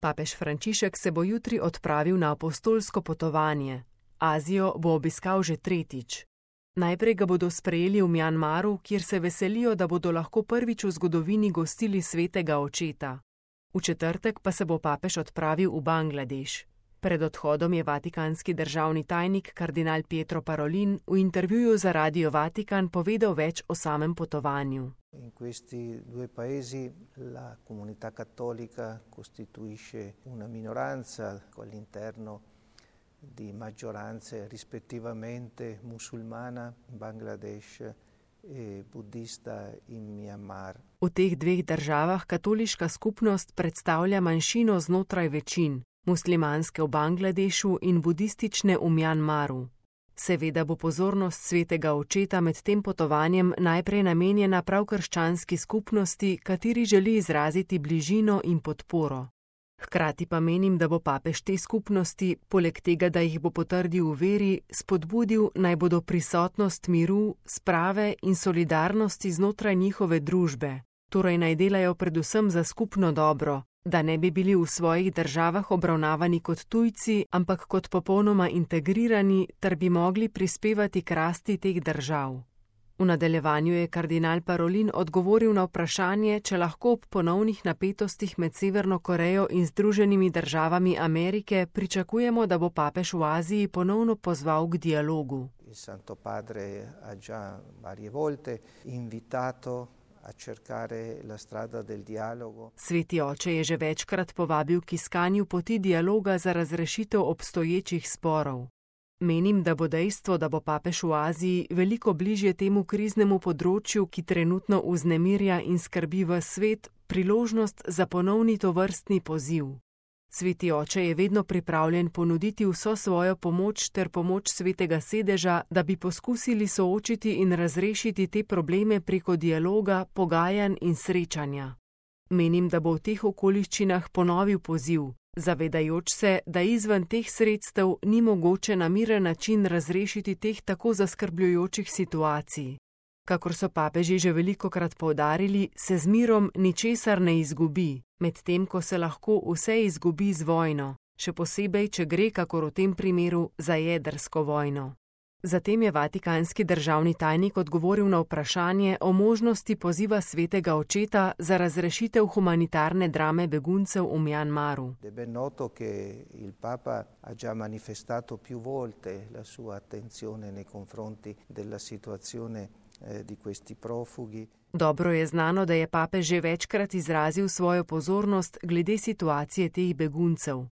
Papež Frančišek se bo jutri odpravil na apostolsko potovanje. Azijo bo obiskal že tretjič. Najprej ga bodo sprejeli v Mjanmaru, kjer se veselijo, da bodo lahko prvič v zgodovini gostili svetega očeta. V četrtek pa se bo papež odpravil v Bangladeš. Pred odhodom je vatikanski državni tajnik kardinal Pietro Parolin v intervjuju za Radio Vatikan povedal več o samem potovanju. In questi due paesi la comunità cattolica costituisce una minoranza all'interno di maggioranze rispettivamente musulmana in Bangladesh e buddista in Myanmar. V teh dveh državah katoliška skupnost predstavlja manjšino znotraj večin, muslimanske v Bangladešu in budistične v Mjanmaru. Seveda bo pozornost svetega očeta med tem potovanjem najprej namenjena prav krščanski skupnosti, kateri želi izraziti bližino in podporo. Hkrati pa menim, da bo papež te skupnosti, poleg tega, da jih bo potrdil v veri, spodbudil, naj bodo prisotnost miru, sprave in solidarnosti znotraj njihove družbe, torej naj delajo predvsem za skupno dobro, da ne bi bili v svojih državah obravnavani kot tujci, ampak kot popolnoma integrirani, ter bi mogli prispevati k rasti teh držav. V nadaljevanju je kardinal Parolin odgovoril na vprašanje, če lahko ob ponovnih napetostih med Severno Korejo in Združenimi državami Amerike pričakujemo, da bo papež v Aziji ponovno pozval k dialogu. Il Santo Padre ha già varie volte invitato a cercare la strada del dialogo. Sveti oče je že večkrat povabil k iskanju poti dialoga za razrešitev obstoječih sporov. Menim, da bo dejstvo, da bo papež v Aziji veliko bližje temu kriznemu področju, ki trenutno vznemirja in skrbi ves svet, priložnost za ponovni tovrstni poziv. Sveti oče je vedno pripravljen ponuditi vso svojo pomoč ter pomoč svetega sedeža, da bi poskusili soočiti in razrešiti te probleme preko dialoga, pogajanj in srečanja. Menim, da bo v teh okoliščinah ponovil poziv, zavedajoč se, da izven teh sredstev ni mogoče na miren način razrešiti teh tako zaskrbljujočih situacij. Kakor so papeži že velikokrat poudarili, se z mirom ničesar ne izgubi, medtem ko se lahko vse izgubi z vojno, še posebej, če gre, kakor v tem primeru, za jedrsko vojno. Zatem je vatikanski državni tajnik odgovoril na vprašanje o možnosti poziva svetega očeta za razrešitev humanitarne drame beguncev v Mjanmaru. È ben noto che il Papa ha già manifestato più volte la sua attenzione nei confronti della situazione di questi profughi. Dobro je znano, da je papež že večkrat izrazil svojo pozornost glede situacije teh beguncev.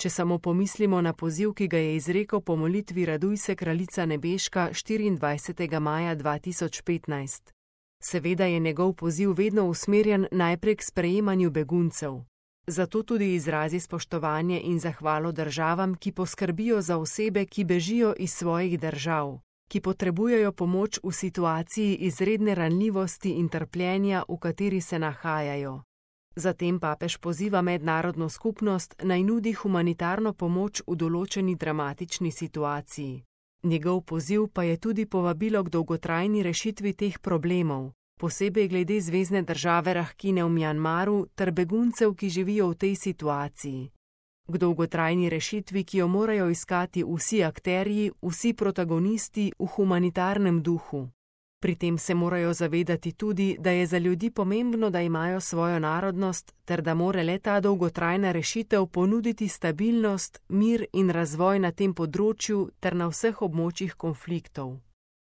Če samo pomislimo na poziv, ki ga je izrekel po molitvi Raduj se, kraljica nebeška 24. maja 2015. Seveda je njegov poziv vedno usmerjen najprej k sprejemanju beguncev. Zato tudi izrazi spoštovanje in zahvalo državam, ki poskrbijo za osebe, ki bežijo iz svojih držav, ki potrebujejo pomoč v situaciji izredne ranljivosti in trpljenja, v kateri se nahajajo. Zatem papež poziva mednarodno skupnost naj nudi humanitarno pomoč v določeni dramatični situaciji. Njegov poziv pa je tudi povabilo k dolgotrajni rešitvi teh problemov, posebej glede zvezne države Rakhine v Mjanmaru ter beguncev, ki živijo v tej situaciji. K dolgotrajni rešitvi, ki jo morajo iskati vsi akterji, vsi protagonisti v humanitarnem duhu. Pri tem se morajo zavedati tudi, da je za ljudi pomembno, da imajo svojo narodnost, ter da mora le ta dolgotrajna rešitev ponuditi stabilnost, mir in razvoj na tem področju ter na vseh območjih konfliktov.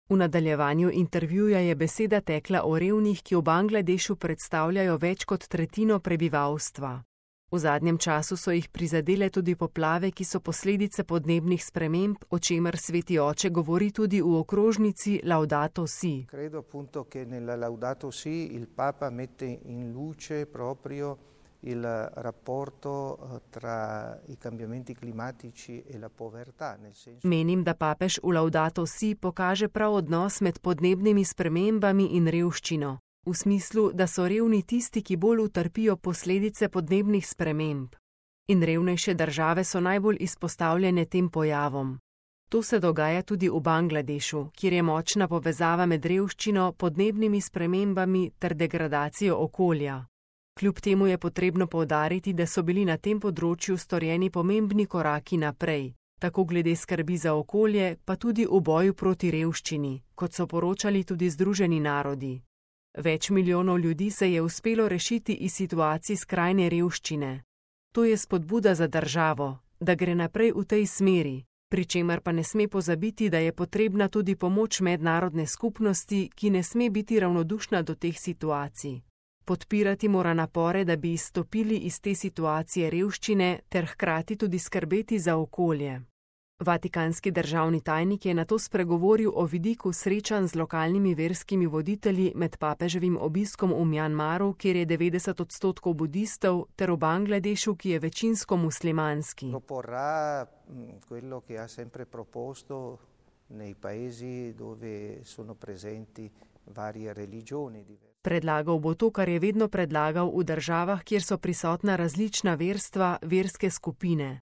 V nadaljevanju intervjuja je beseda tekla o revnih, ki v Bangladešu predstavljajo več kot tretjino prebivalstva. V zadnjem času so jih prizadele tudi poplave, ki so posledice podnebnih sprememb, o čemer sveti oče govori tudi v okrožnici Laudato Si. Credo appunto che nella Laudato Si il Papa mette in luce proprio il rapporto tra i cambiamenti climatici e la povertà. Menim, da papež v Laudato Si pokaže prav odnos med podnebnimi spremembami in revščino. V smislu, da so revni tisti, ki bolj utrpijo posledice podnebnih sprememb. In revnejše države so najbolj izpostavljene tem pojavom. To se dogaja tudi v Bangladešu, kjer je močna povezava med revščino, podnebnimi spremembami ter degradacijo okolja. Kljub temu je potrebno poudariti, da so bili na tem področju storjeni pomembni koraki naprej, tako glede skrbi za okolje, pa tudi v boju proti revščini, kot so poročali tudi Združeni narodi. Več milijonov ljudi se je uspelo rešiti iz situacij skrajne revščine. To je spodbuda za državo, da gre naprej v tej smeri, pri čemer pa ne sme pozabiti, da je potrebna tudi pomoč mednarodne skupnosti, ki ne sme biti ravnodušna do teh situacij. Podpirati mora napore, da bi izstopili iz te situacije revščine ter hkrati tudi skrbeti za okolje. Vatikanski državni tajnik je nato spregovoril o vidiku srečanj z lokalnimi verskimi voditelji med papeževim obiskom v Mjanmaru, kjer je 90% budistov, ter v Bangladešu, ki je večinsko muslimanski. Proporrà quello che ha sempre proposto nei paesi dove sono presenti varie religioni. Predlagal bo to, kar je vedno predlagal v državah, kjer so prisotna različna verstva, verske skupine.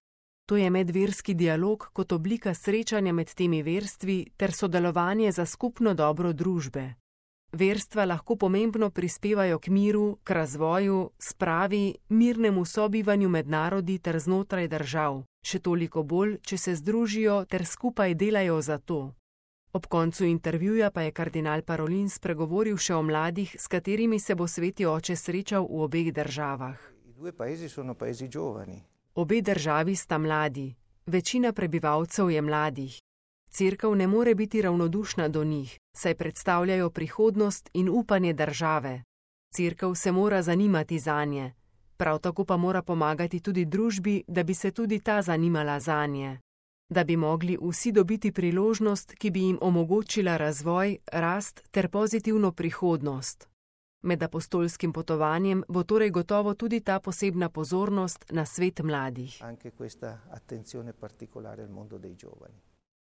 To je medverski dialog kot oblika srečanja med temi verstvi ter sodelovanje za skupno dobro družbe. Verstva lahko pomembno prispevajo k miru, k razvoju, spravi, mirnemu sobivanju med narodi ter znotraj držav, še toliko bolj, če se združijo ter skupaj delajo za to. Ob koncu intervjuja pa je kardinal Parolin spregovoril še o mladih, s katerimi se bo sveti oče srečal v obeh državah. Obe državi sta mladi, večina prebivalcev je mladih. Cerkev ne more biti ravnodušna do njih, saj predstavljajo prihodnost in upanje države. Cerkev se mora zanimati zanje, prav tako pa mora pomagati tudi družbi, da bi se tudi ta zanimala zanje. Da bi mogli vsi dobiti priložnost, ki bi jim omogočila razvoj, rast ter pozitivno prihodnost. Med apostolskim potovanjem bo torej gotovo tudi ta posebna pozornost na svet mladih. Anche questa attenzione particolare al mondo dei giovani.